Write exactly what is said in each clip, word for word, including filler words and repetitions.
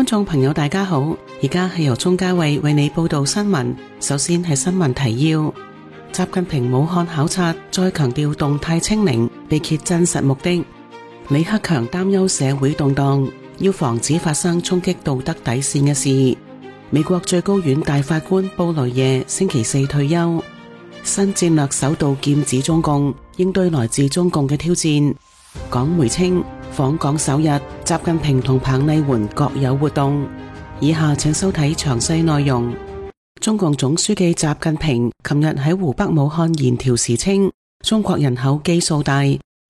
眾朋友大家好，而家係由鍾嘉慧為你報道新聞。首先係新聞提要：習近平武漢考察，再強調動態清零，被揭真實目的。李克強擔憂社會動盪，要防止發生衝擊道德底線嘅事。美國最高院大法官布雷耶星期四退休。新戰略首度劍指中共，應對來自中共嘅挑戰。港媒稱訪港首日，習近平同彭麗媛各有活動。以下請收睇詳細內容。中共總書記習近平琴日喺湖北武漢言調時稱，中國人口基數大，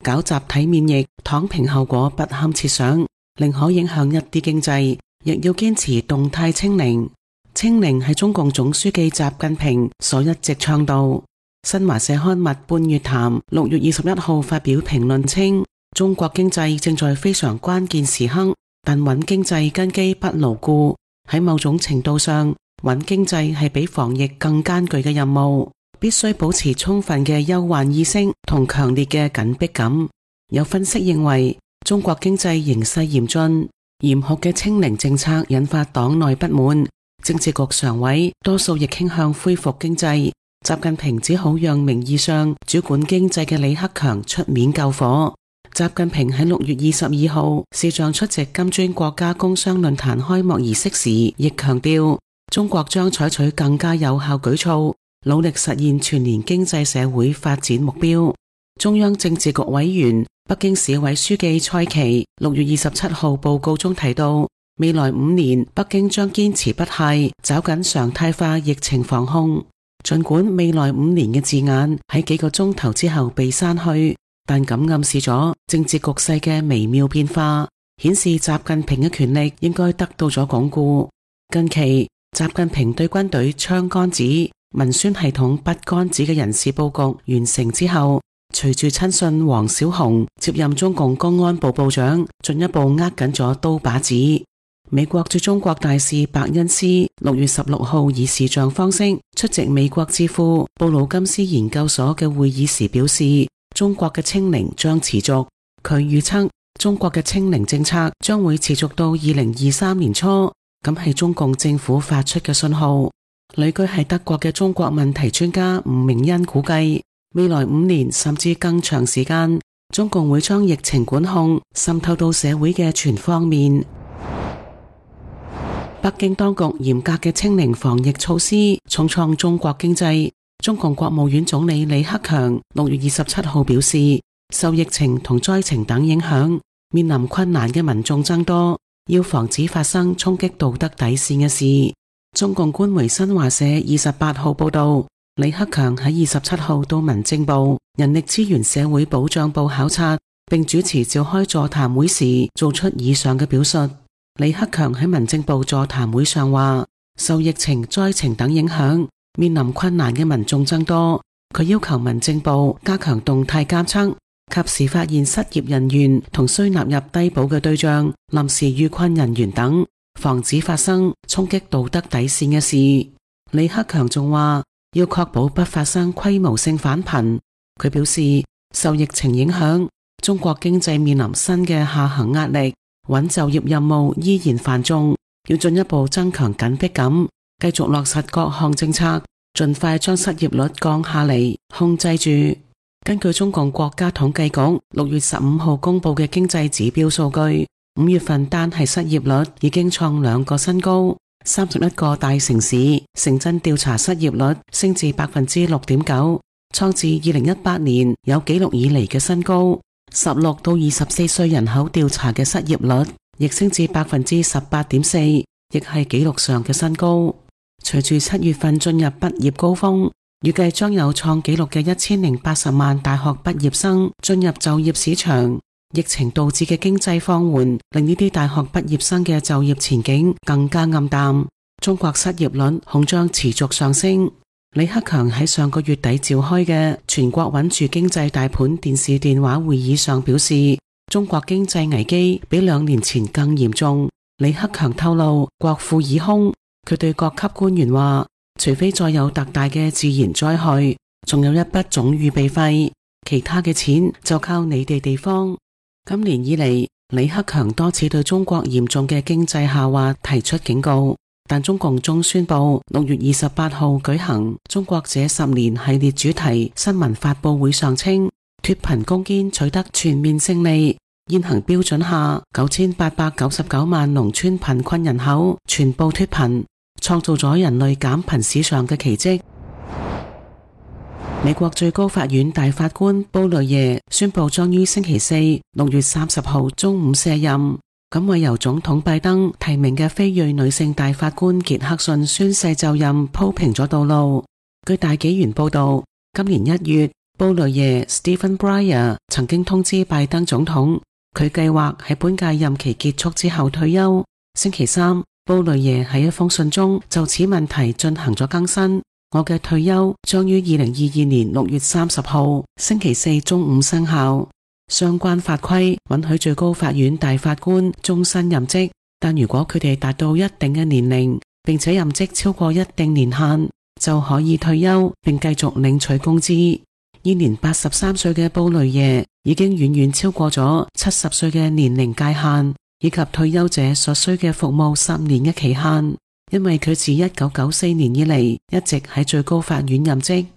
搞集體免疫，躺平後果不堪設想，寧可影響一啲經濟，亦要堅持動態清零。清零係中共總書記習近平所一直倡導。新華社刊物《半月談》六月二十一號發表評論稱，中國經濟正在非常關鍵時刻，但穩經濟根基不牢固。喺某種程度上，穩經濟係比防疫更艱巨嘅任務，必須保持充分嘅憂患意識同強烈嘅緊迫感。有分析認為，中國經濟形勢嚴峻，嚴酷嘅清零政策引發黨內不滿，政治局常委多數亦傾向恢復經濟。習近平只好讓名義上主管經濟嘅李克強出面救火。習近平喺六月二十二號視像出席金磚國家工商論壇開幕儀式時，亦強調中國將採取更加有效舉措，努力實現全年經濟社會發展目標。中央政治局委員、北京市委書記蔡奇六月二十七號報告中提到，未來五年北京將堅持不懈，抓緊常態化疫情防控。儘管未來五年嘅字眼喺幾個鐘頭之後被刪去，但咁暗示咗政治局勢嘅微妙變化，顯示習近平嘅權力應該得到咗鞏固。近期習近平對軍隊槍桿子、文宣系統筆桿子嘅人事佈局完成之後，隨住親信王小洪接任中共公安部部長，進一步握緊咗刀把子。美國駐中國大使伯恩斯六月十六號以視像方式出席美國智庫布魯金斯研究所嘅會議時表示，中國嘅清零將持續。佢預測中國嘅清零政策將會持續到二零二三年初，咁係中共政府發出嘅信號。旅居係德國嘅中國問題專家吳明恩估計，未來五年甚至更長時間，中共會將疫情管控滲透到社會嘅全方面。北京當局嚴格嘅清零防疫措施重創中國經濟。中共國務院總理李克強六月二十七號表示，受疫情同災情等影響，面臨困難嘅民眾增多，要防止發生衝擊道德底線嘅事。中共官媒新華社二十八號報道，李克強喺二十七號到民政部、人力資源社會保障部考察，並主持召開座談會時做出以上嘅表述。李克強喺民政部座談會上話，受疫情、災情等影響，面臨困難嘅民眾增多。佢要求民政部加強動態監測，及時發現失業人員同需納入低保嘅對象、臨時遇困人員等，防止發生衝擊道德底線嘅事。李克強仲話，要確保不發生規模性返貧。佢表示，受疫情影響，中國經濟面臨新嘅下行壓力，穩就業任務依然繁重，要進一步增強緊迫感，繼續落實各項政策，盡快將失業率降下嚟，控制住。根據中共國家統計局六月十五號公布嘅經濟指標數據，五月份單係失業率已經創兩個新高，三十一個大城市城鎮調查失業率升至百分之六點九，創自二零一八年有紀錄以嚟嘅新高。十六到二十四歲人口調查嘅失業率亦升至百分之十八點四，亦係紀錄上嘅新高。隨住七月份進入畢業高峰，預計將有創紀錄嘅一千零八十萬大學畢業生進入就業市場。疫情導致嘅經濟放緩，令呢啲大學畢業生嘅就業前景更加暗淡。中國失業率恐將持續上升。李克強喺上個月底召開嘅全國穩住經濟大盤電視電話會議上表示，中國經濟危機比兩年前更嚴重。李克強透露，國庫已空。佢對各級官員話，除非再有特大嘅自然災害，仲有一筆總預備費，其他嘅錢就靠你哋地方。今年以嚟，李克強多次對中國嚴重嘅經濟下滑提出警告，但中共終宣布六月二十八號舉行中國這十年系列主題新聞發佈會上稱，脫貧攻堅取得全面勝利，現行標準下九千八百九十九萬農村貧困人口全部脫貧，創造咗人類減貧史上嘅奇蹟。美國最高法院大法官布雷耶宣布將於星期四六月三十號中午卸任，咁為由總統拜登提名嘅非裔女性大法官傑克遜宣誓就任鋪平咗道路。據大紀元報道，今年一月，布雷耶 Stephen Breyer 曾經通知拜登總統，佢計劃喺本屆任期結束之後退休。星期三，布雷耶喺一封信中就此問題進行咗更新。我嘅退休將於二零二二年六月三十號星期四中午生效。相關法規允許最高法院大法官終身任職，但如果佢哋達到一定嘅年齡，並且任職超過一定年限，就可以退休並繼續領取工資。現年八十三歲嘅布雷耶已經遠遠超過咗七十歲嘅年齡界限，以及退休者所需嘅服務十年嘅期限。因為佢自一九九四年以嚟一直喺最高法院任職。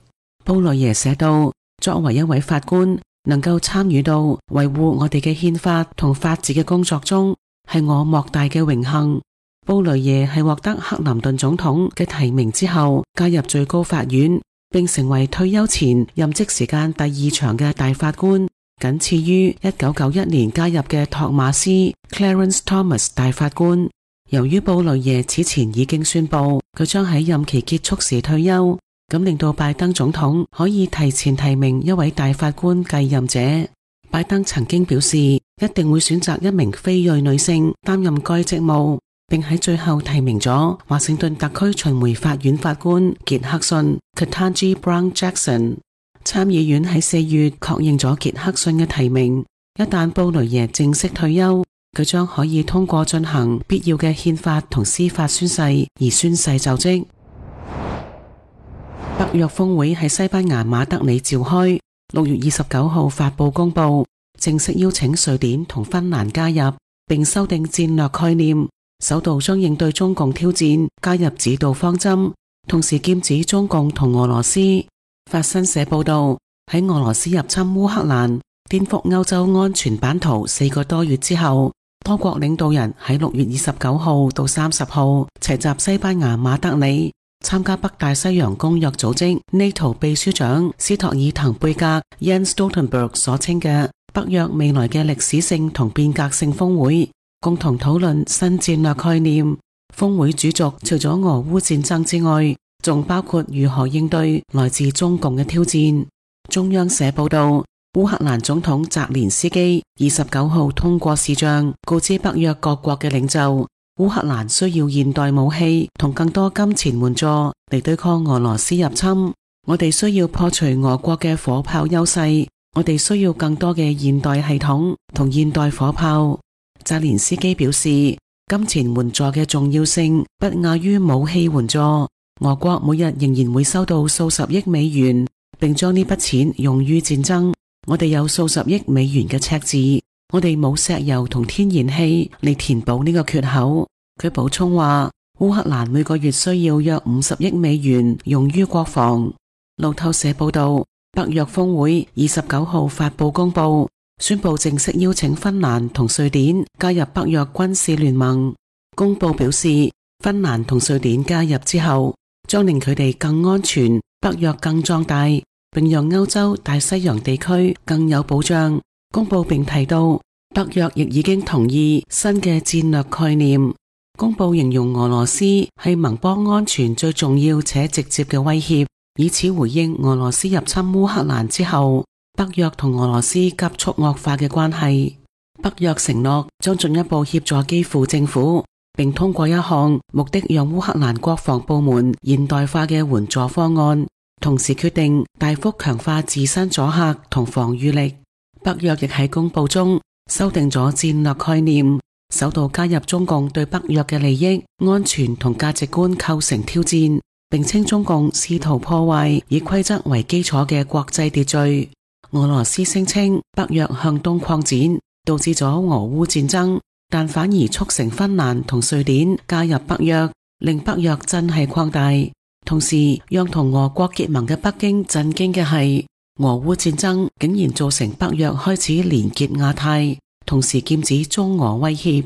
布雷耶寫道，作為一位法官，能夠參與到維護我哋嘅憲法同法治嘅工作中，係我莫大嘅榮幸。布雷耶係獲得克林頓總統嘅提名之後加入最高法院，並成為退休前任職時間第二長嘅大法官，僅次於一九九一年加入嘅托馬斯 Clarence Thomas 大法官。由於布雷耶此前已經宣布佢將喺任期結束時退休，咁令到拜登總統可以提前提名一位大法官繼任者。拜登曾經表示一定會選擇一名非裔女性擔任該職務，並喺最後提名咗華盛頓特區巡迴法院法官傑克遜 Ketanji Brown Jackson。參議院喺四月確認咗傑克遜嘅提名，一旦布雷耶正式退休，佢將可以通過進行必要嘅憲法同司法宣誓而宣誓就職。北約峰會喺西班牙馬德里召開，六月二十九號發佈公佈，正式邀請瑞典同芬蘭加入，並修訂戰略概念，首度將應對中共挑戰加入指導方針，同時劍指中共同俄羅斯。法新社報道，喺俄羅斯入侵烏克蘭，顛覆歐洲安全版圖四個多月之後，多國領導人喺六月二十九號到三十號齊集西班牙馬德里，參加北大西洋公約組織 NATO 秘書長斯托爾滕貝格 Jens Stoltenberg 所稱嘅北約未來嘅歷史性同變革性峰會，共同討論新戰略概念。峰會主軸除咗俄烏戰爭之外，仲包括如何應對來自中共嘅挑戰。中央社報道，烏克蘭總統澤連斯基二十九號通過視像告知北約各國嘅領袖，烏克蘭需要現代武器同更多金錢援助嚟對抗俄羅斯入侵。我哋需要破除俄國嘅火炮優勢，我哋需要更多嘅現代系統同現代火炮。澤連斯基表示，金錢援助嘅重要性不亞於武器援助。俄國每日仍然會收到數十億美元，並將呢筆錢用於戰爭。我哋有數十億美元嘅赤字，我哋冇石油同天然氣嚟填補呢個缺口。佢補充話，烏克蘭每個月需要約五十億美元用於國防。路透社報道，北約峰會二十九號發佈公佈，宣布正式邀請芬蘭同瑞典加入北約軍事聯盟。公佈表示，芬蘭同瑞典加入之後，將令佢哋更安全，北約更壯大，並讓歐洲大西洋地區更有保障。公佈並提到，北約亦已經同意新嘅戰略概念。公佈形容俄羅斯係盟邦安全最重要且直接嘅威脅，以此回應俄羅斯入侵烏克蘭之後，北約同俄羅斯急速惡化嘅關係。北約承諾將進一步協助基輔政府，並通過一項目的讓烏克蘭國防部門現代化嘅援助方案，同時決定大幅強化自身阻嚇同防禦力。北約亦喺公佈中修訂咗戰略概念，首度加入中共對北約嘅利益、安全同價值觀構成挑戰，並稱中共試圖破壞以規則為基礎嘅國際秩序。俄羅斯聲稱北約向東擴展，導致咗俄烏戰爭，但反而促成芬蘭同瑞典加入北約，令北約真係擴大。同時讓同俄國結盟嘅北京震驚嘅係，俄烏戰爭竟然造成北約開始連結亞太，同時劍指中俄威脅。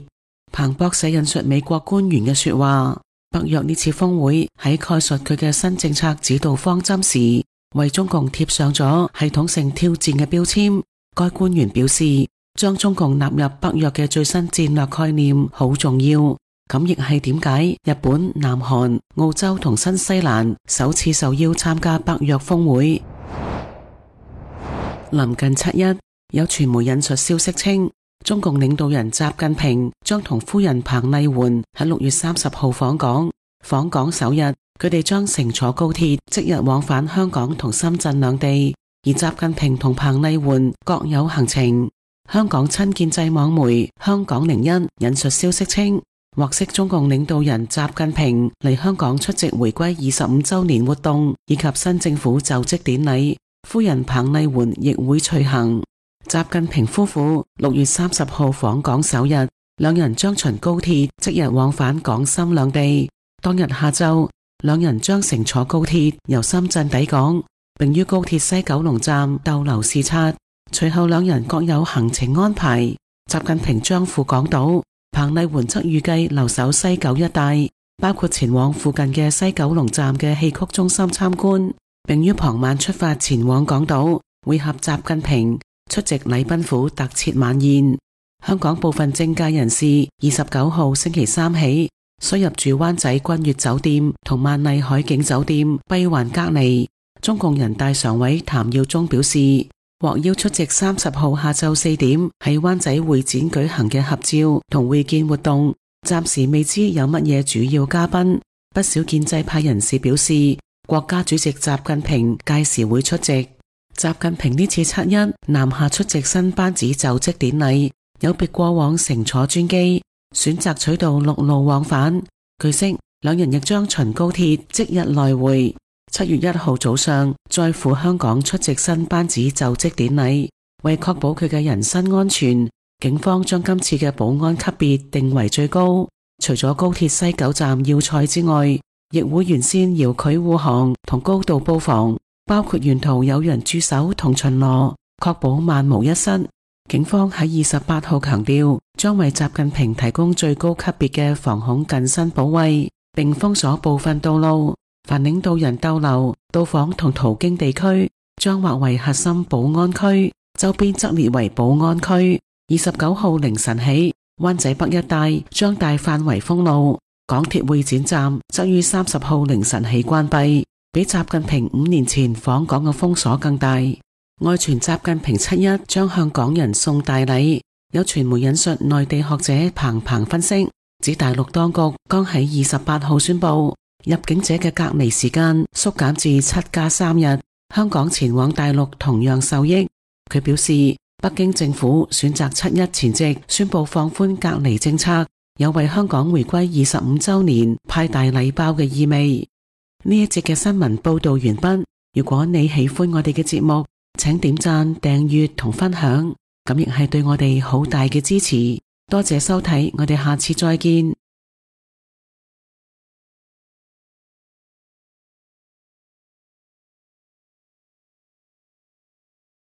彭博社引述美國官員嘅說話，北約呢次峰會喺概述佢嘅新政策指導方針時，為中共貼上咗系統性挑戰嘅標籤。該官員表示，將中共納入北約嘅最新戰略概念好重要。咁亦係點解日本、南韓、澳洲同新西蘭首次受邀參加北約峰會。臨近七一，有傳媒引述消息稱，中共領導人習近平將同夫人彭麗媛喺六月三十號訪港。訪港首日，佢哋將乘坐高鐵即日往返香港同深圳兩地，而習近平同彭麗媛各有行程。香港親建制網媒香港零一引述消息稱，獲悉中共領導人習近平嚟香港出席回歸二十五週年活動以及新政府就職典禮，夫人彭麗媛亦會隨行。習近平夫婦六月三十號訪港首日，兩人將循高鐵即日往返港深兩地。當日下晝，兩人將乘坐高鐵由深圳抵港，並於高鐵西九龍站逗留視察。隨後兩人各有行程安排，習近平將赴港島，彭麗媛則預計留守西九一帶，包括前往附近嘅西九龍站嘅戲曲中心參觀，並於傍晚出發前往港島會合習近平，出席禮賓府特設晚宴。香港部分政界人士二十九號星期三起需入住灣仔君悅酒店同萬麗海景酒店閉環隔離。中共人大常委譚耀宗表示，獲邀出席三十號下晝四點喺灣仔會展舉行嘅合照同會見活動，暫時未知有乜嘢主要嘉賓。不少建制派人士表示，國家主席習近平屆時會出席。習近平呢次七一南下出席新班子就職典禮，有別過往乘坐專機，選擇取道陸路往返。據悉，兩人亦將循高鐵即日來回。七月一號早上再赴香港出席新班子就職典禮。為確保佢嘅人身安全，警方將今次嘅保安級別定為最高。除咗高鐵西九站要塞之外，亦會沿線遙距護航同高度布防，包括沿途有人駐守同巡邏，確保萬無一失。警方喺二十八號強調，將為習近平提供最高級別嘅防恐近身保衛，並封鎖部分道路。凡領導人逗留、到訪同途經地區，將劃為核心保安區，周邊則列為保安區。二十九號凌晨起，灣仔北一帶將大範圍封路，港鐵會展站則於三十號凌晨起關閉，比習近平五年前訪港嘅封鎖更大。外傳習近平七一將向港人送大禮，有傳媒引述內地學者彭鵬分析，指大陸當局剛喺二十八號宣布，入境者嘅隔離時間縮減至七加三日，香港前往大陸同樣受益。佢表示，北京政府選擇七一前夕宣布放寬隔離政策，有為香港回歸二十五週年派大禮包嘅意味。呢一節嘅新聞報道完畢。如果你喜歡我哋嘅節目，請點讚、訂閱同分享，咁亦係對我哋好大嘅支持。多謝收睇，我哋下次再見。